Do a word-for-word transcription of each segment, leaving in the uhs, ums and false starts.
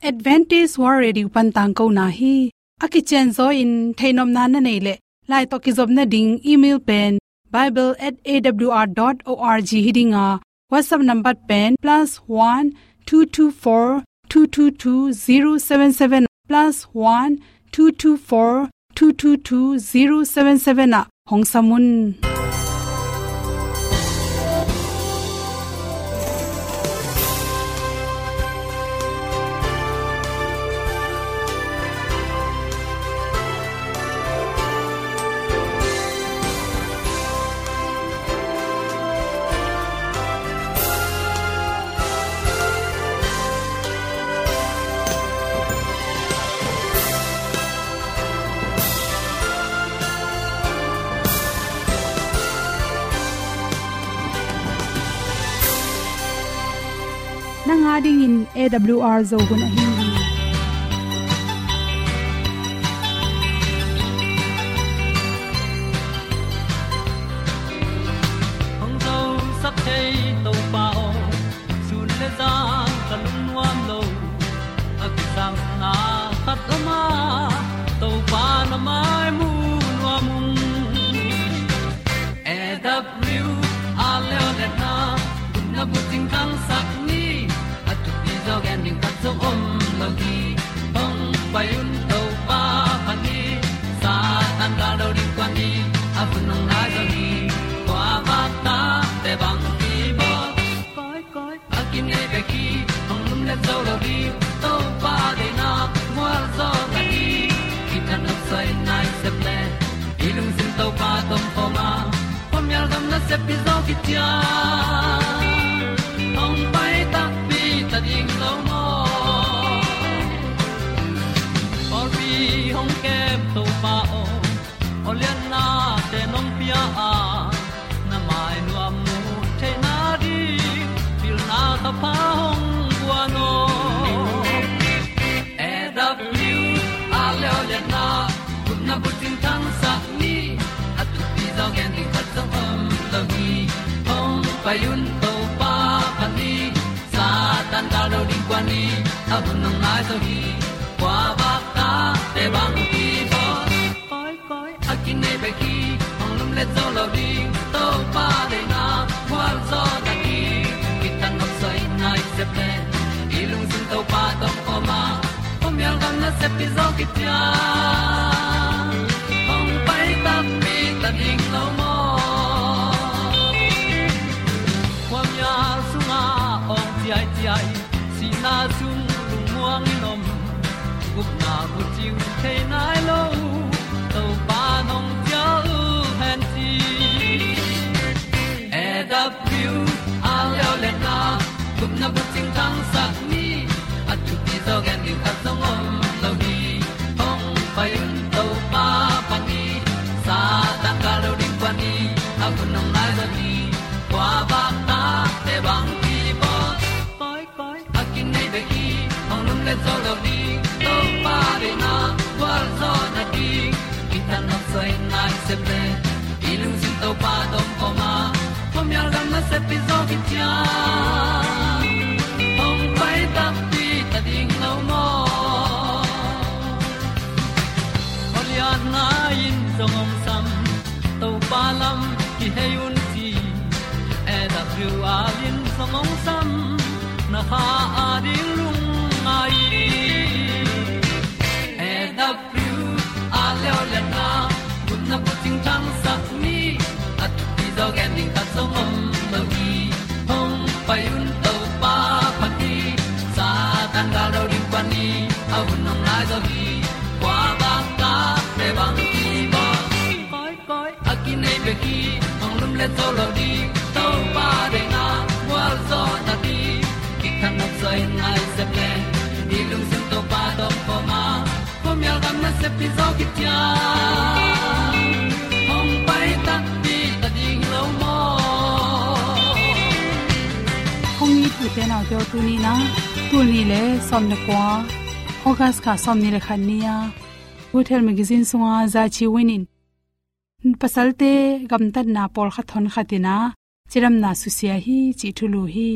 Adventist World Radio pan tangkona hi. A kicianzaw in theihnopna na neih leh, lai tawh kizopna ding email pen bible at A W R dot org hi ding a, WhatsApp number pen plus one two two four two two two zero seven seven, plus one two two four two two two zero seven seven ah hong sam un. Nang a dingin A W R Zo hun ahi hi. Hong zosak thei Topa aw, sun le zan ka lungnuam lo. A kisapna khat om a, Topa na mai mu nuam ung. A W R Leolehna, gupna bucing thangsak ni, a thupi zaw gen ding khat zong om lo hi. Hong pai un Topa phat ni, Satan gal do ding kuan ni, a hun hong nai zaw hi. Kua vak tate bang kibawl, koi koi a kinei bek hi. Hong lumlet zo lo ding, Topa deihna mual zaw ta hi. Kithat nopsa in nai sep le, i lungsim Topa tawh om khawm a, khuamial gam nasep hi zaw khit ciang, hong pai takpi ta ding lo maw? Pawlpi hong kem Topa aw, awlianna te nong pia a, na mai nuam mu theihna ding, pilna thapha hong guan aw. A W R Leolehna, gupna bucing thangsak ni, a thupi zaw gen ding khat zong om lo hi. Hong pai un Topa phat ni, Satan gal do ding kuan ni, a hun hong nai zaw hi. Kua vak tate bang kibawl, koi koi a kinei bek hi. Hong lumlet zo lo ding, Topa deihna mual zaw ta hi. Kithat nopsa in nai sep le, i lungsim Topa tawh om khawm a, khuamial gam nasep hi zaw khit ciang, hong pai takpi ta ding lo maw? Khuamial sungah awng ciaiciai, sihna sung lungmuang in om, gupna bucing thei nai lo, Topa nong cial hen ci. A W R Leolehna, gupna bucing thangsak ni, a thupi zaw gen ding khat zong om lo hi. Hong pai un Topa phat ni, Satan gal do ding kuan ni, a hun hong nai zaw hi. Kua vak tate bang kibawl, koi koi a kinei bek hi. Hong lumlet zo lo ding, Topa deihna gualzawhna ding, kithat nopsa in nai sep le, i lungsim Topa tawh om khawm a, khuamial gam nasep hi zaw khit ciang, hong pai takpi ta ding lo maw? Awlianna in zong hong sam, Topa lam kihei un ci. A W R in zong hong sam, na kha a ding lungngai. A W R Leolehna, gupna bucing thangsak ni, a thupi zaw gen ding khat zong om lo hi. Hong pai un Topa phat ni, Satan gal do ding kuan ni, a hun hong nai zaw hi. Kua vak tate bang kibawl, koi koi a kinei bek hi. Hong lumlet zo lo ding, Topa deihna gualzawhna ding, kithat nopsa in nai sep le, i lungsim Topa tawh om khawm a, khuamial gam nasep hi zaw khit ciang, hong pai takpi ta ding lo maw? Hong it ute naute aw, tuni in ah, tul nih le sawm le kua, August kha sawmnih le khat ni-a, Bethel Magazine sunga Za Ci Win in, pasalte gamtatna pawlkhat honkhat in ah cidamna susia hi cih thulu hi.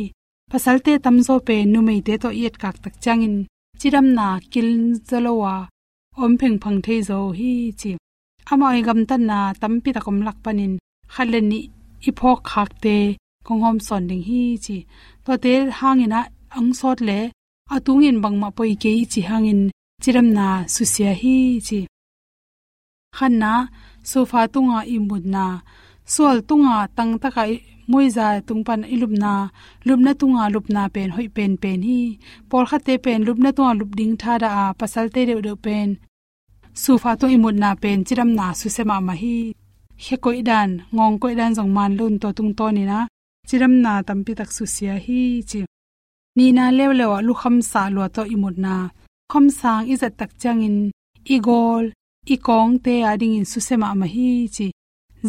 Pasalte tamzaw pen numeite tawh i etkak tak ciangin cidamna kil zaw lo a om phengphang thei zaw uh hi ci. Amau i gamtatna tampi tak om lak panin khat le nih i phawk khakte kong hawm sawn ding hi ci. Tuate hangin ah hong sawt le a tungin bangmah poi kei i ci hangin cidamna susia hi ci. Khatna, sofa tunga i mutna, sual tunga tangtaka i muiza tung pan i lupna, lupna tunga lupna pen hoih penpen hi. Pawlkhatte pen lupna tunga lup ding thadah a, pasalte deuhdeuh pen sofa tung i mutna pen cidamna susia mahmah hi. Khe koih dan, ngawng koih dan zong man lo in tua tungtawnin ah cidamna tampi tak susia hi ci. Nihna leuleu ah lukham sah lua tawh i mutna, lukham sang i zat tak ciangin i gawl, i kawngte a dingin susia mahmah hi ci.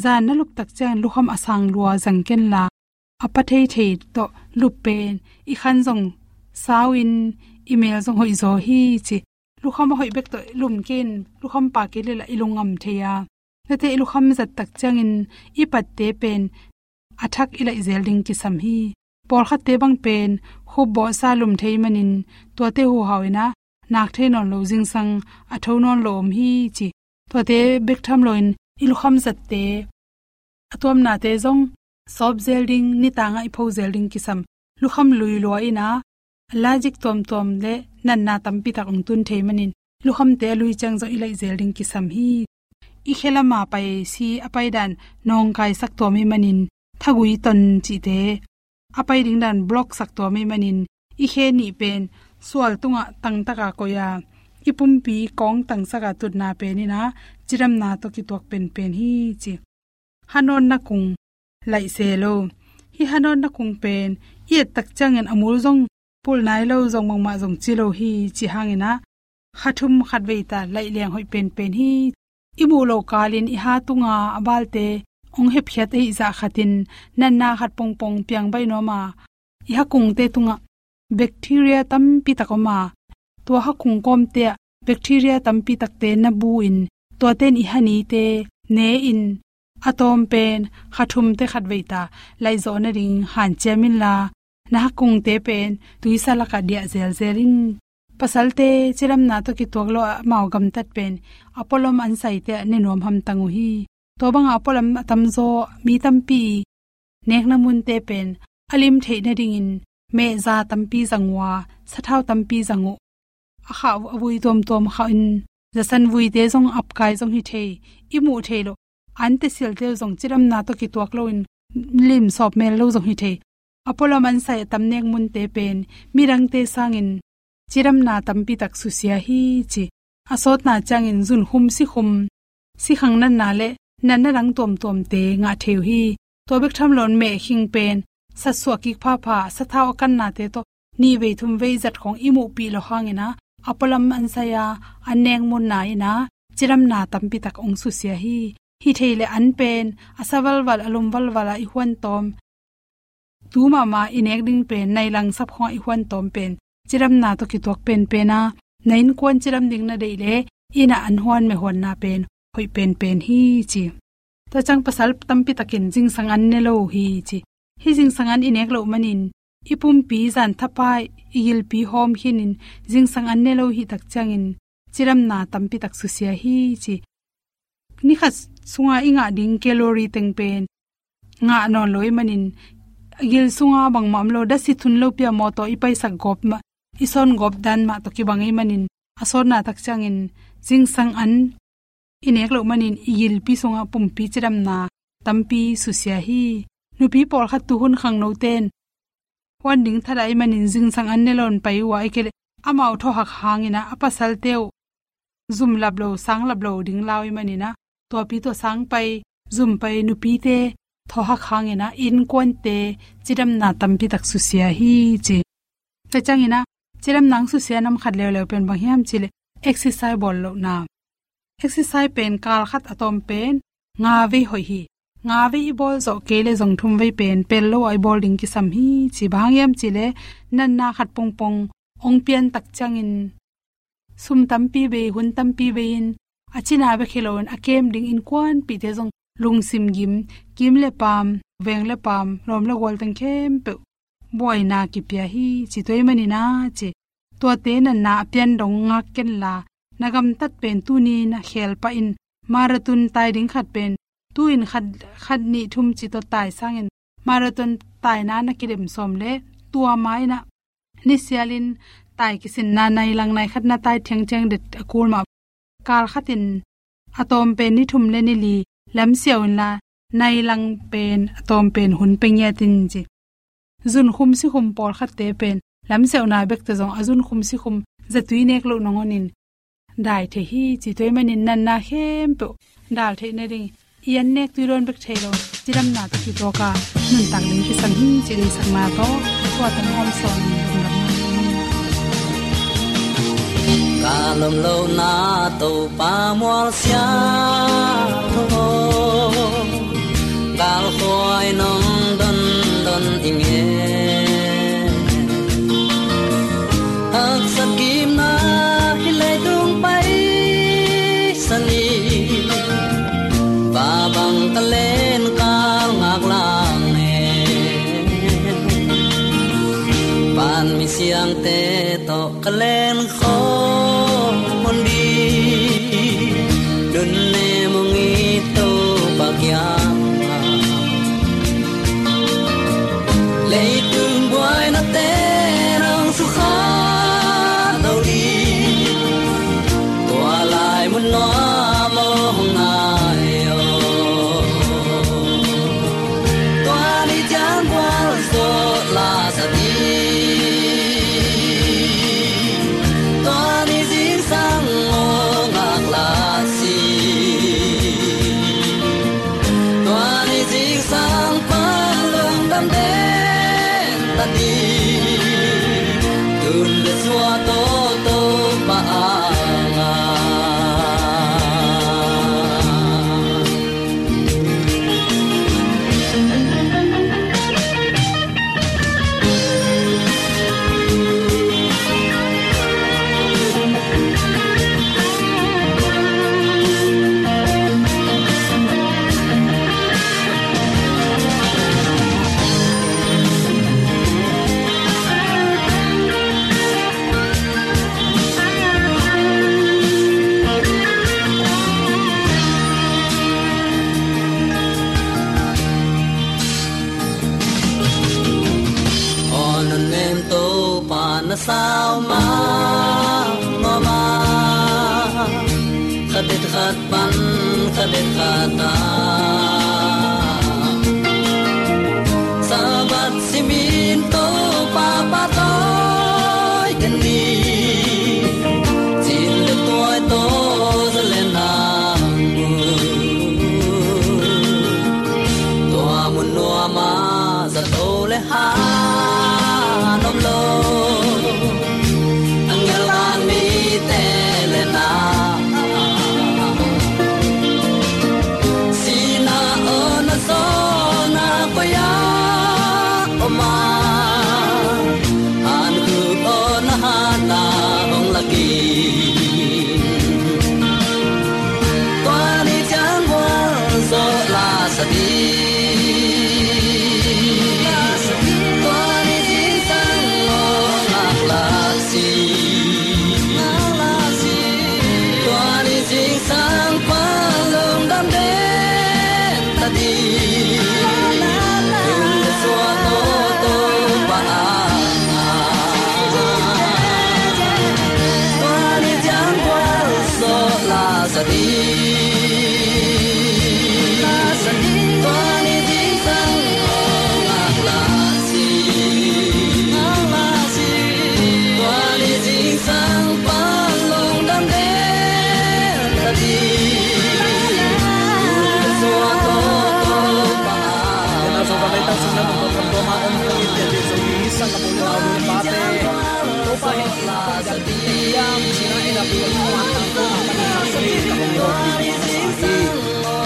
Zan na lup tak ciangin lukham a sang lua zang kenla, a pa theithei tawh lup pen i khan zong sau in, i mel zong hoih zaw hi ci. Lukham a hoih bek tawh lum kei in, lukham pa kei leh lah i lung ngam thei a, tuate i lukham zat tak ciangin i patte pen a thak i laih zel ding kisam hi. Pawlkhatte bang pen khup bawhsa lum thei manin tuate huhau in ah nak thei nawn lo, zingsang a tho nawn lo om hi ci. Tuate bek tham loin i lukham zatte, a tuamnate zong sawp zel ding, nitangah i pho zel ding kisam. Lukham lui lua in ah allergic tuamtuam le natna tampi tak hong tun thei manin lukhamte a lui ciang zong i laih zel ding kisam hi. I khe lama pai si a pai dan nawngkaisak tuam ahih manin thagui ton cihte a pai ding dan block sak tuam ahih manin i khe nih pen sual tungah tangtaka koih a, i pumpi kawng tangsak a tutna pen in ah cidamna tawh kituak penpen hi ci. Hanawnna kung laih se lo. Hih hanawnna kung pen i et tak ciangin a mul zong pulh nai lo, zong bangmah zong ci lo hi ci hangin ah kha thum khat vei ta laih leng hoih penpen hi. I muh loh kalin i ha tunga a balte hong hepkhiat ahih zah khatin natna khat pongpong piang baih nuam a, i ha kungte tungah bacteria tampi tak om a, tua ha kung kawmte ah bacteria tampi takte na bu in tuate in i ha nite ne in a tawm pen kha thumte khat vei ta laih zawh nading hanciam inla, na ha kungte pen tuisa lakah diah zelzel in. Pasalte cidamna tawh kituak lo ah amau gamtat pen a pualam an saite ah ne nuam hamtang uh hi. Tua bangah a pualam a tamzaw mi tampi i nekna munte pen a lim theih nadingin mehza tampi zang uh a, sathau tampi zang uh. A khah a vui tuamtuam khah in, zasan vuite zong apkai zong hi thei, i muh thei loh ante silte uh zong cidamna tawh kituak loin lim sawp mel lo zong hi thei. A pualam an sai a tam nek munte pen midangte sangin cidamna tampi tak susia hi ci. A sawtna ciangin zunkhum, sikhum, sikhang natna le natna dang tuamtuamte ngah thei uh hi. Tua bek tham loin mehkhing pen satsuah kik phapha, sathau a kannate tawh nih vei thum vei zat khawng i muhpih loh hangin ah a pualam an sai a, an nek munna in ah cidamna tampi tak hong susia hi. Hi thei le an pen a sa valval, a lum valval a i huan tawm, tu mahmah i nek ding pen nai lang sap khawngah i huan tawm pen cidamna tawh kituak penpen a, na innkuan cidam ding na deih le inn ah an huan meh huanna pen hoih penpen hi ci. Tua ciang pasal tampi takin zingsang an ne lo uh hi ci. Hih zingsang an i nek loh manin i pumpi zan thapa i gilpi hawm khinin zingsang an ne lo hih tak ciangin cidamna tampi tak susia hi ci. Ni khat sunga i ngah ding calorie teng pen ngah nawn lo ahih manin, gil sunga bangmah om lo, dasi thun lopi a mawtaw i paisak gawp mah, i sawn gawp dan mah tawh kibang ahih manin, a sawtna tak ciangin zingsang an i nek loh manin i gilpi sunga pumpi cidamna tampi susia hi. Nupi pawlkhat tuhun khangnote in huan ding thadah ahih manin zingsang an ne lo in pai uh a, ahih kei leh amau thawhak hangin ah a pasalte uh zum lap lo, sang lap lo ding lau ahih manin ah, tuapi tua sang pai, zum pai nupite thawhak hangin ah innkuante cidamna tampi tak susia hi ci. Tua ciangin ah cidamna hong susia nam khat leuleu pen bang hiam cih leh exercise bawl lohna. Exercise pen kal khat a tawm pen nga vei hoih hi. Nga vei i bawl zawh kei leh zong thum vei pen pel lo a i bawl ding kisam hi ci. Bang hang hiam cih leh natna khat pongpong hong pian tak ciangin sum tampi bei, hun tampi bei in a cina bek hi loin a kem ding innkuanpihte zong lungsim gim, kim le paam, veng le paam, lawm le gual teng khempeuh buaina kipia hi ci. Tua ahih manin ah ci. Tuate natna a pian dong ngak kenla, na gamtat pen tuni na khel pah in. Marathon tai ding khat pen tu-in khat, khat nih thum ci tawh tai sangin marathon taina na kidem sawm le tua ma-in ah nisialin tai kisinna nai lang nai khat na tai thiangthiang det a kul mah. Kal khatin a tawm pen ni thum le ni li lamsiau inla, nai lang pen a tawm pen hun pe ngiat in ci. Zunkhum sikhum pawlkhatte pen lamsiauna bekte zong a zunkhum sikhum zatui nek loh nangawn in dai thei hi ci. Tua ahih manin natna khempeuh dal theih nading i an nek tui dawn bek thei lo, cidamna tawh kitawka nuntak ding kisam hi ci deihsakna tawh tua tang hawm sawn in lungdamna. Ka lawm lohna Topa mualsia tho, galkhuai nong dondon i nge. Haksat kimna hih leitung paisan i, va bang ka len kal ngak lang ne. Van mi siangte tawh ka len khawm hun ding, nunnem hong it Topa kiangah. Leitung buainate nong sukha lo ding, tua lai mun nuam hong nai aw. Tua ni ciang gualzawh la sa ding, tua ni zingsang maw ngak la si. Tua ni zingsang pan lungdam den ta ding, tun le suah tawh Topa a ngah. Aw nunnem Topa na sau mahmah a, khat et khat pan khat et khat a, Sabbath simin Topa pahtawi den ni, cin le tuai tawh za le nang mu. Tua mun nuam ah zato le han om lo, a ngelhang mite le na, sihna aw na zawhna koi ah om a, hankhuk aw na hatna hong lak in. Tua ni ciang gualzawh la sa ding, tua ni zingsang maw ngak la si. Tua ni zingsang pan lungdam den ta ding, tun le suah tawh Topa a ngah. Tua ni ciang gualzawh la sa ding, tua ni zingsang maw ngak la si. Tua ni zingsang pan lungdam den ta ding, tun le suah tawh Topa a ngah. Tua Zomi Sangkap u le nau nu le pate, Topa hehpihna tawh i gamtatna hiam cih in ah, i na pu a tangthu a pan a hong hei ka hong lawpih masa hi.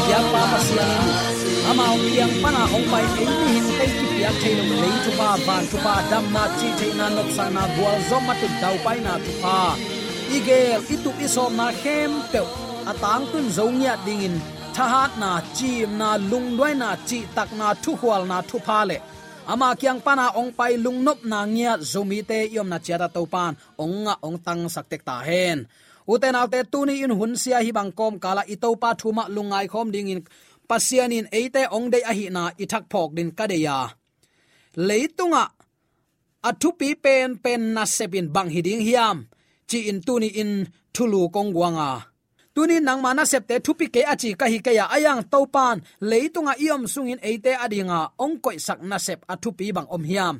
Biakpa Pasian in amau kiang pan a hong pai ei mihingte i kipiak theih loh lei thupha, van thupha, damna, cih theihna, nopsakna, gualzawhna, mat un daupaina thupha, i geel i tup i sawmna khempeuh a tangtun zo ngiat dingin thahatna, ciimna, lungduaina, cihtakna, thukhualna thupha le Ama kiang pana hong pai lungnopna ngiat Zomite i omna ciatah Topan hong ngah hong tangsak tek ta hen. Ute naute, tuni in hun sia hih bang kawmkalah i Topa thu mah lungngai khawm dingin Pasian in eite hong deih ahihna i thak phawk dingin ka deih a, leitungah a thupi penpen nasep in bang hi ding hiam, ci-in tuni in thulu kong guang a. Tuni in nangma nasepte thupi kei a ci ka hi kei a, ahi zongin Topan leitungah i om sungin eite adinga hong koihsak nasep a thupi bang om hiam?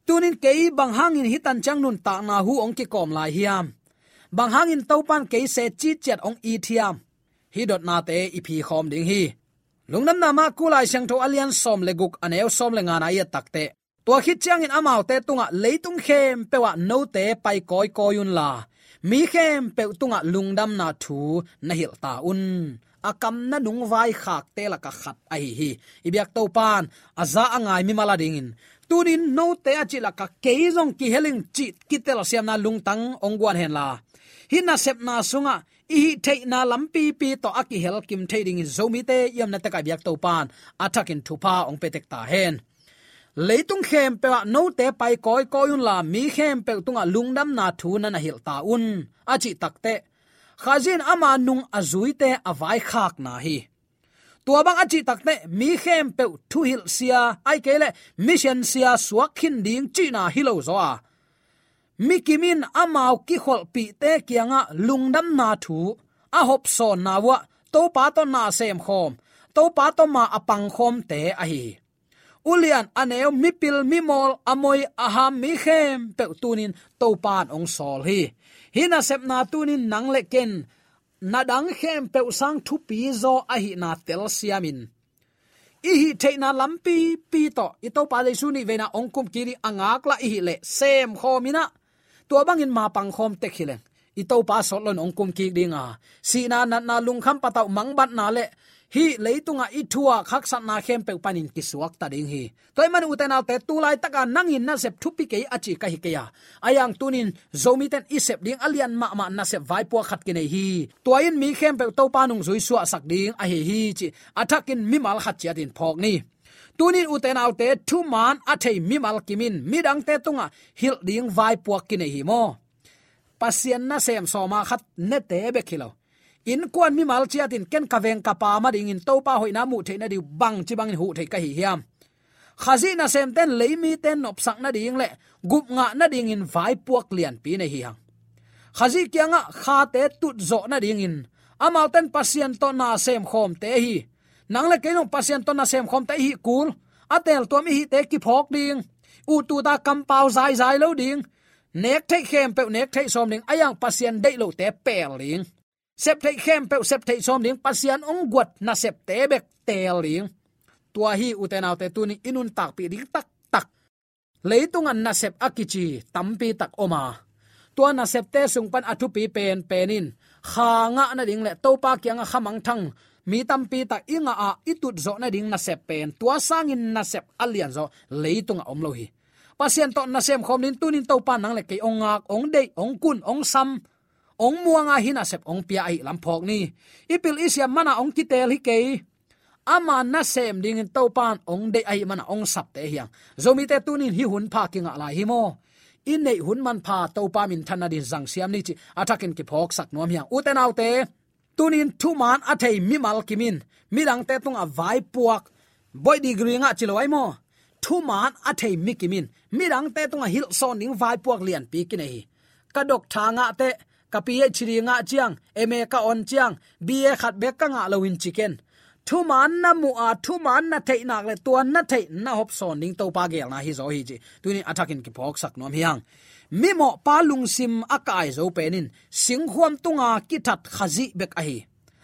Tuni in kei bang hangin hih tan ciang nuntakna hu hong kikawm lai hiam? Bang hangin Topan kei se citciat hong it hiam? Hih dotnate i phi khawm ding hi. Lungdamna Marku Lai Siangtho a lian sawm le guk, a neu sawm le ngana i et takteh, tua khit ciangin amaute tungah, "Leitung khempeuh ah note pai kawikawi unla, mi khempeuh tungah lungdamna thu na hilh ta un," a kam na nung vaikhakte lakah khat ahi hi. I biak Topan a za a ngai mimal adingin, tuni in note a cih lakah kei zong kihel ing cih kitelsiamna lungtang hong guan henla, hih nasepna sungah i hih theihna lampipi tawh a kihel kim thei dingin Zomite i omna tekah i biak Topan a thakin thupha hong pia tek ta hen. "Leitung khempeuh ah note pai kawikawi unla, mi khempeuh tungah lungdamna thu na na hilh ta un," a cih takteh, Khazih in ama nung a zuite a vaikhakna hi. Tua bang a cih takteh mi khempeuh thuhilh sia, ahih kei leh mission sia suak khin ding cihna hi lo zaw a, mi kim in amau kikholhpihte kiangah lungdamna thu a hopsawnna uh ah Topa tawh na a semkhawm, Topa tawh ma a pangkhawmte ahi hi. Ulian, a neu, mipil, mimawl, a moi, a ham, mi khempeuh tuni in Topan hong sawl hi. Hih nasepna tuni in nang le ken na dang khempeuh sang thupi zaw ahihna telsiamin, i hih theihna lampipi tawh i Topa Jesu nih veina hong kumkik ding a ngaklah i hih leh semkhawm in ah, tua bangin ma pangkhawm tek hi leng, i Topa sawt loin hong kumkik ding a, sihna, natna, lungkham patauh, mangbatna le hih leitungah i thuak haksatna khempeuh panin kisuakta ding hi. Tua ahih manin ute naute, tu laitaka nang in nasep thupi kei a ci ka hi kei a, ahi zongin tuni in Zomite in i sep ding a lian mahmah nasep vaipuak khat kinei hi. Tua in mi khempeuh Topa nungzui suahsak ding ahi hi cih a thakin mimal khat ciatin phawk ni. Tuni in ute naute, thuman a thei mimal kim in midangte tungah hilh ding vaipuak kinei hi maw? Pasian nasem sawma khat nete bek hi lo, innkuan mimal ciatin ken ka veng ka pa ma dingin Topa hoihna muh theih nading bangci bangin huh thei ka hi hiam? Khazih nasemte in leimite nopsak nading le gupngah nadingin vaipuak lianpi nei hi hang. Khazih kiangah khate tutzawh nadingin amaute in Pasian tawh na semkhawmte hi. Nang le kei zong Pasian tawh na semkhawmte i hih kul, a teltuam i hihte kiphawk ding, uttuta kampau zaizai lo ding, nek theih khempeuh nek theih sawm ding, ahi zongin Pasian deih lote pel ding, sep theih khempeuh sep theih sawm ding, Pasian hong guat nasepte bek teel ding. Tua hi ute naute, tuni in i nuntakpih ding taktak. Leitungah nasep a kici tampi tak om a, tua nasepte sung pan a thupi penpen in kha ngah nading le Topa kiangah kha mangthang mi tampi tak i ngah a, i tutzawh nading nasep pen, tua sangin nasep a lianzaw leitungah om lo hi. Pasian tawh na semkhawm ding, tuni in Topa nang le kei hong ngak, hong deih, hong kun, hong sam, hong muang a, hih nasep hong pia ahih lam phawk ni. I pil i siam mana hong kiteel hi kei. Ama nasem dingin Topa in hong deih ahih mana hong sapte hi hang. Zomite tuni in hih hun pha kingah lai hi maw? I neih hun manpha Topa minthan nading zangsiam ni cih a thakin kiphawksak nuam hi hang. Ute naute, tuni in thuman a thei mimal kim in midangte tungah vaipuak, boih degree ngah ci lo ai maw? Thuman a thei mi kim in midangte tungah hilhsawn ding vaipuak lianpi kinei hi. Ka doctor ngah teh, ka PhD ngah ciang, MA ka on ciang, BA khat bek ka ngah lo in ci ken. Thuman na muh a, thuman na theih nak le tua na theih na hopsawn ding Topa geelna hi zaw hi cih tuni in a thakin kiphawksak nuam hi hang. Mimawhpa lungsim a kai zo pen in singkhuam tunga kithat khazih bek ahi.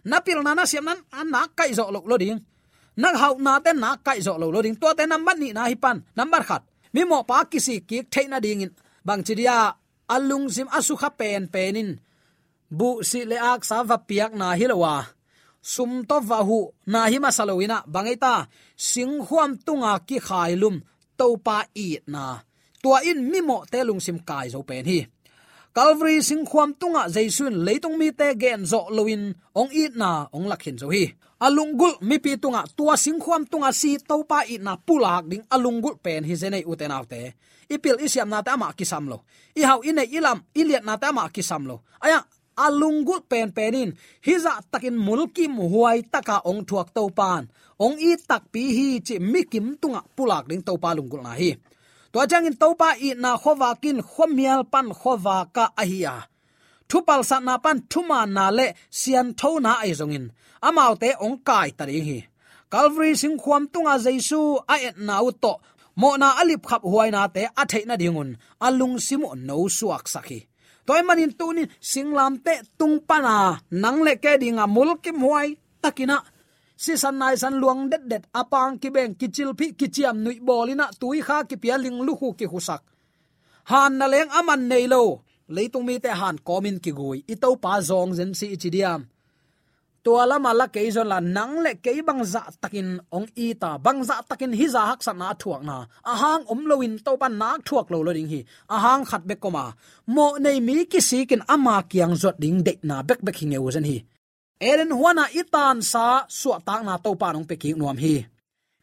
Na pilna na siamna a nak kaih zawh loh lo ding. Na hauhnate nak kaih zawh loh lo ding. Tuate nambat nihna hi pan. Nambat khat, mimawhpa kisik kik theih nadingin bangci dia, a lungsim a sukha penpen in buhsih le aksa va piakna hi lo a, sum tawh va huhna hi masa lo in ah, bang ei ta, singkhuam tunga kikhailum Topa itna, tua in mimawhte lungsim kai zo pen hi. Calvary singkhuam tungah Jesu in leitung mite gen zawh loin hong itna hong lak khin zo hi. A lunggulh mipi tungah tua singkhuam tungah si Topa itna pulak ding a lunggulh pen hi zen ei, ute naute. I pil i siamnate amah kisam lo. I hauh i neih i lam i liatnate amah kisam lo. Ahi hang a lunggulh penpen in hih zahtakin mulkimhuai taka hong thuak Topa in hong it takpi hi cih mikim tungah pulak ding Topa lunggulhna hi. Tua ciangin Topa itna khuavak in khuamial pan khuavak ah ahi a, thupalsatna pan thumaanna le sianthona ahi zongin amaute hong kaita ding hi. Calvary singkhuam tungah Jesu a etna uh tawh mawhna a lipkhap huainate a theih nadingun a lungsim uh no suaksak hi. Tua ahih manin tuni-in singlamteh tung pana nang le kei dinga mulkimhuai takin ah sisan naisan luang detdet, a pang kibeng, kicilphih, kiciamnuih bawl in ah tuikha kipia, linglukhu kikhusak, hanna leng a man nei lo leitung mite han kawmin kigui i Topa zawng zen si i ci diam? Tua lama la kei zon la, nang le kei bangzahtakin hong ita, bangzahtakin hih zah haksatna a thuakna a hang om loin Topa nak thuak lo lo ding hi. A hang khat bek om a, mawhnei mi kisikin ama kiang zuat ding deihna bekbek hi ngeu zen hi. Eden huana i tansa suahtakna Topa in hong pia kik nuam hi.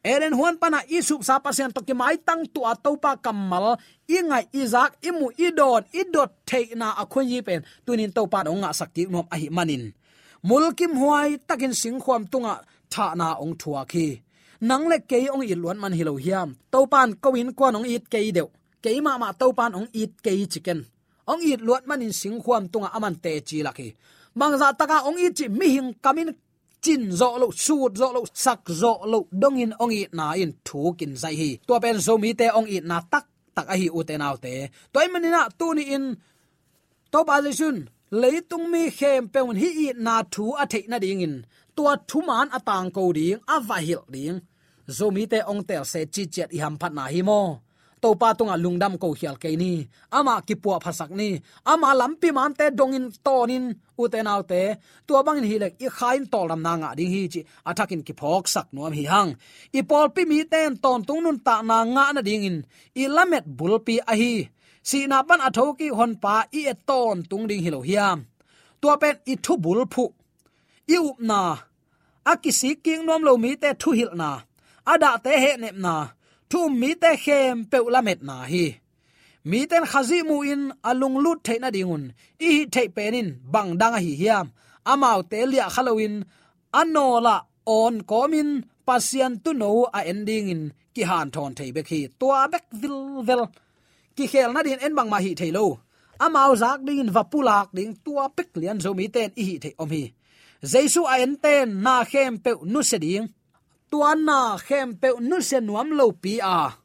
Eden huan pana i supsa Pasian tawh kimaitang tua Topa kammal i ngaih, i zak, i muh, i dawn, i dot theihna a khuayi pen tuni-in Topa in hong ngahsak kik nuam ahih manin mulkimhuai takin singkhuam tungah thahna hong thuak hi. Nang le kei hong it luat man hi lo hiam? Topa in ko innkuan hong it kei deuh, kei mahmah Topa in hong it kei ci ken. Hong it luat manin singkhuam tungah a man teci lak hi. Bangzah taka hong it cih mihing kamin cin zawh loh, sut zawh loh, sak zawh loh dongin hong itna in thukin zaih hi. Tua pen Zomite hong itna taktak ahi, ute naute. Tua ahih manin ah tuni-in Topa Jesu in leitung mi khempeuh in hih itna thu a theih nadingin tua thumaan a tangko ding, a vahilh ding Zomite hong teel se ciciat i hamphatna hi maw? Topa tungah lungdam ko khial kei ni. Amah kipuahphasak ni. Ama lampi maante dongin tawnin, ute naute. Tua bangin hileh i kha in tawldamna ngah ding hi cih a thakin kiphawksak nuam hi hang. I pawlpi mite in tawntung nuntakna ngah nadingin i lamet bulpi ahi sihna pan a thokik Honpa i et tawntung ding hi lo hiam? Tua pen i thubulphuh, i upna, a kisik kik nuam lo mite thuhilhna, a dahte hehnepna, thu um mite khempeuh lametna hi. Mite in Khazih muhin a lunglut theih nadingun i hih theih pen in bang dang ahi hiam? Amaute liahkha loin a nawlah awn kawmin Pasian tuuno a en dingin kihanthawn thei bek hi. Tua bek vilvel. Kikhel nadingin en bangmah hih thei lo. Amau zak dingin va pulak ding, tua bek lian Zomite in i hih theih om hi. Jesu a enten na khempeuh nusia ding. Tua na khempeuh nusia nuam lopi a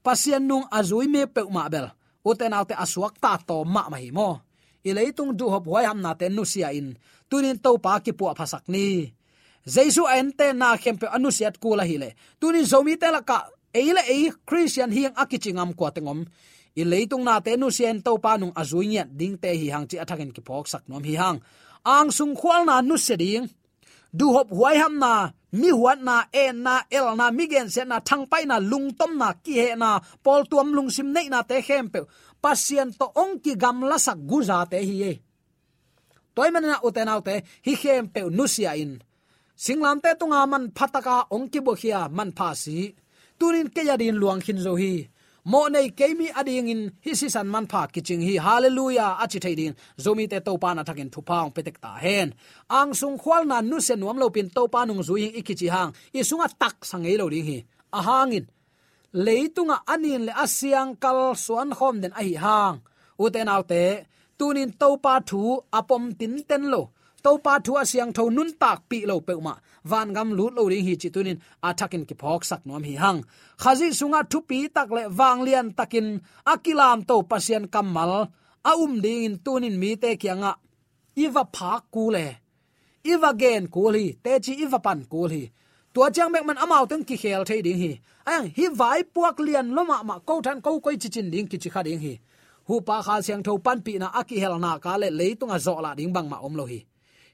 Pasian nung a zui mi peuhmah bel, ute naute, a suakta tawm mahmah hi maw? I leitung duhhop huaihamnate nusia in tuni-in Topa kipuahphasak ni. Jesu a enten na khempeuh a nusiat kul ahileh tuni-in Zomite lakah ei le ei Khristian hing a kici ngam kua teng om? I leitung nate nusia in Topa nung a zui ngiat dingte hi hang cih a thakin kiphawksak nuam hi hang. Angsung khualna nusia ding, duhhop huaihamna, mi huatna, enna, elna, mi gensiatna, thangpaihna, lungtomna, kihehna, pawltuam lungsim neihnate khempeuh Pasian tawh hong kigamlasak guzate hi ei. Tua ahih manin ah, ute naute, hih khempeuh nusia in singlamteh tunga manpha taka hong kibuakhia manpha si tuni-in kei adingin luang khin zo hi. Mawhnei kei mi adingin hih sisan manpha kicing hi. Halleluiah a ci thei dingin Zomite Topa in a thakin thupha hong pia tek ta hen. Angsung khualna nusia nuam lopi-in Topa nung zui hing i kici hang i sungah taksa ngei lo ding hi. A hangin leitungah a nin le a siangkal suankhawm den ahi hang, ute naute, tuni-in Topa thu a pom tinten lo, Topa thu a siangtho nuntakpih lo peuhmah vangam lut lo ding hi cih tuni-in a thakin kiphawksak nuam hi hang. Khazih sungah thupi tak le vanglian takin a kilamto Pasian kammal a um dingin tuni-in mite kiangah i va phak kul e, i va gen kul hi, teci i va pan kul hi. Tua ciang bek man amaute in kikhel thei ding hi. Ahi hang hih vaipuak lian lua mahmah, ko than ko koi cicin ding kici kha ding hi. Huhpa Kha Siangtho panpihna a kihel nak leh leitung a zawhlah ding bangmah om lo hi.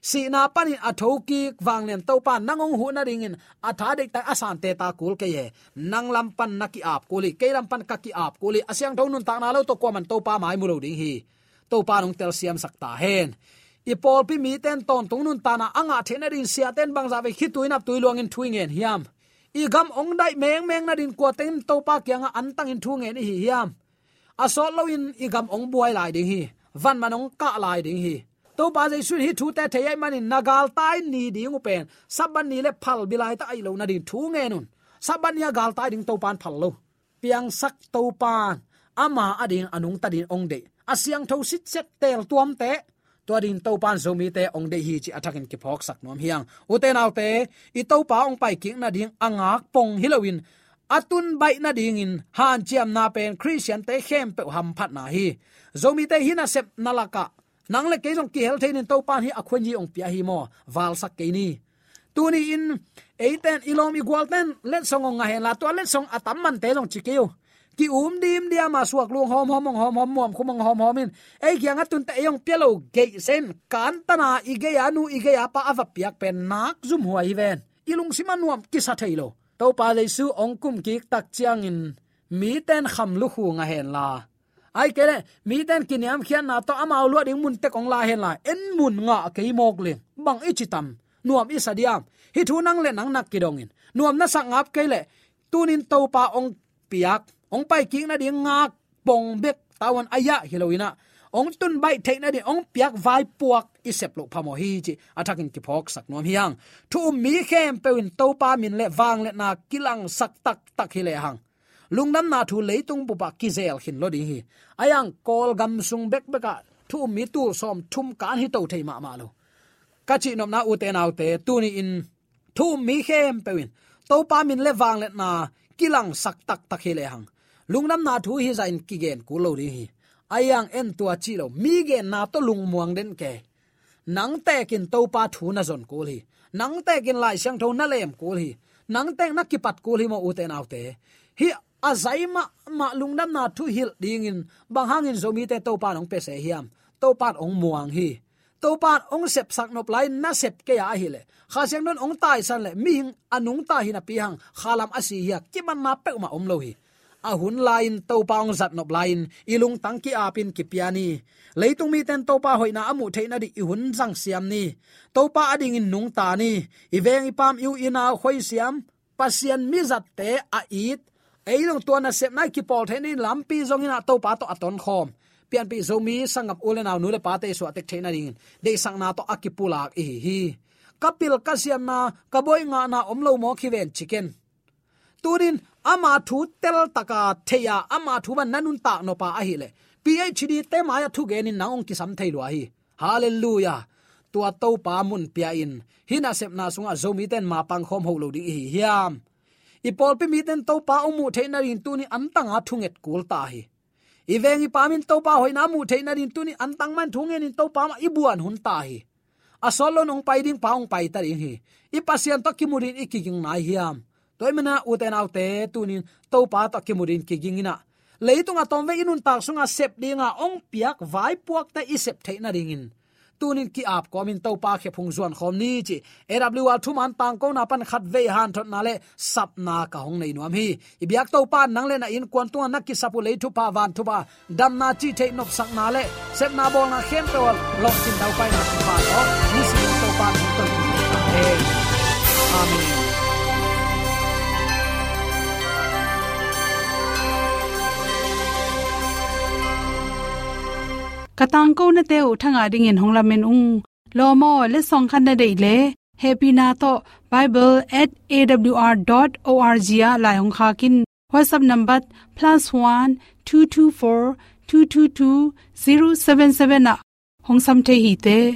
Sihna panin a thokik vanglian Topa nang hong huh nadingin a tha deihtak a sante ta kul kei e. Nang lam pan na ki-ap kul hi, kei lam pan ka ki-ap kul hi. A siangtho nuntakna lo tawh kuaman Topa mai mu lo ding hi. Topa in hong telsiamsak ta hen. I pawlpi mite in tawntung nuntakna a ngah theih nadingin siate in bangzah vei khitui naptui luangin thu i ngen hiam? I gam hong daih mengmeng nadingin kuate in Topa kiangah antangin thu ngen i hi hiam? A sawt loin i gam hong buai lai ding hi. Vanman hong kah lai ding hi. Topa Jesu in hih thute thei ahih manin na galtai ni ding uh pen Sabbath ni le phalbi laitak ahih loh nadingin thu ngen un. Sabbath ni a galtai ding Topa in phal lo. Piangsak Topa in ama adingin a nungta dingin hong deih, a siangtho sitset teel tuamte, tua dingin Topa in Zomite hong deih hi cih a thakin kiphawksak nuam hi hang. Ute naute, i Topa hong paikik nading a ngak pong hi loin a tun baih nadingin hanciamna pen Khristiante khempeuh hamphatna hi. Zomite hih nasepna lakah nang le kei zong kihel thei ning, Topa in hih a khuanyi hong pia hi maw, valsak kei ni. Tuni-in eite in, i lawm i gualte in letsong hong ngah henla, tua letsong a tam mante zong ci kei uh. Ki-um dimdiam a, suak lung hawmhawm, hong hawmhawm, muam khum hong hawmhawm in ei kiangah tunte ei hong pia lo geih sen, kantan a i gei-a nu i gei-a pa a va piak pen nak zumhuai hi ven. I lungsim ah nuam kisa thei lo. Topa Jesu hong kumkik tak ciangin mite in kham lukhu ngah henla, ahih kei leh mite in kiniamkhiatna tawh amau luah ding mun tek hong la henla, en mun ngah kei mawk leng bang i ci tam? Nuam i sa diam? Hih thu nang le nang na kidongin nuam na sak ngap kei leh, tunin Topa hong piak, hong paikik nading ngak pong bek tawh a yah hi loin ah, hong tun baih theih nading hong piak vaipuak i sep loh phamawh hi cih a thakin kiphawksak nuam hi hang. Thu um mi khempeuh in Topa min le vangliatna kilangsak taktak hi lehang, lungdamna thu leitung bup ah kizel khin lo ding hi. Ahi hang Kawlgam sung bekbek ah thu um mi tul sawmthum kan hi to thei mahmah lo. Ka cihnopna, ute naute, tuni-in thu um mi khempeuh in Topa min le vangliatna kilangsak taktak hi lehang, lungdamna thu hih zah in kigen kul lo ding hi. Ahi hang en, tua cih lo, mi genna tawh lungmuang den kei. Nang tekin Topa thu na zon kul hi. Nang tekin Lai Siangtho na lem kul hi. Nang tek na kipat kul hi maw, ute naute. Hih a zai mahmah lungdamna thu hilh dingin bang hangin Zomite Topa in hong pia se hiam? Topa in hong muang hi. Topa in hong sepsak nop lai-in na sep kei a ahih leh, Kha Siangtho in hong taisan leh mihing a nungta hi napi hang khalam a si hi a, kimanna peuhmah om lo hi. A hun lai-in Topa hong zat nop lai-in i lungtang ki-apin kipia ni. Leitung mite in Topa hoihna a muh theih nading i hun zangsiam ni. Topa adingin nungta ni. I veng i paam, i u i nau khoisiam, Pasian mizatte a it, ei zong tua nasepna i kipawl theih nading lampi zongin ah Topa tawh a tonkhawm, pianpih Zomi sanggam u le nau, nu le pate i suahtek theih nadingin deihsakna tawh a kipulak i hi hi. Ka pil ka siamna, ka buai ngahna om lo mawk hi ven ci ken. Tunin ama thu teltaka thei-a, ama thu bang na nuntak nop a ahih leh, PhD te mai-ah thugenin nang hong kisam thei lua hi. Halleluiah. Tua Topa mun pia-in hih nasepna sungah Zomite in ma pangkhawm hoh lo ding i hi hiam? I pawlpi mite in Topa hong muh theih nadingin tuni antanga thunget kul ta hi. I veng i paam in Topa hoihna muh theih nadingin tuni antang mah in thu ngenin Topa mah i buan hun ta hi. A sawt loin hong pai ding pa hong pai ta ding hi. I Pasian tawh kimu dingin i kiging nai hiam? Tua ahih manin ah, ute naute, tunin Topa tawh kimu dingin kiging in ah, leitung a tawmvei i nuntak sungah sep dinga hong piak vaipuakte i sep theih nadingin tunin ki-ap kawmin Topa khe phung zuan khawm ni cih A W R thuman tangkona pan khatvei hanthotna le sapna ka hong nei nuam hi. I biak Topa in nang le na innkuan tungah na kisap uh lei thupha, van thupha, damna, cih theih nopsakna le sepna bawlna khempeuh ah lawhcin daupaina thupha tawh nisim in Topa in hong tonpih ta hen. Amen. Ka tangkonate uh thangah dingin hong lamen ung. Lawm aw, letsong khat na deih leh, hehpihna tawh bible at A W R dot O R G ah lai hong khak in. WhatsApp number plus one two two four two two two zero seven seven ah hong sam thei hi te.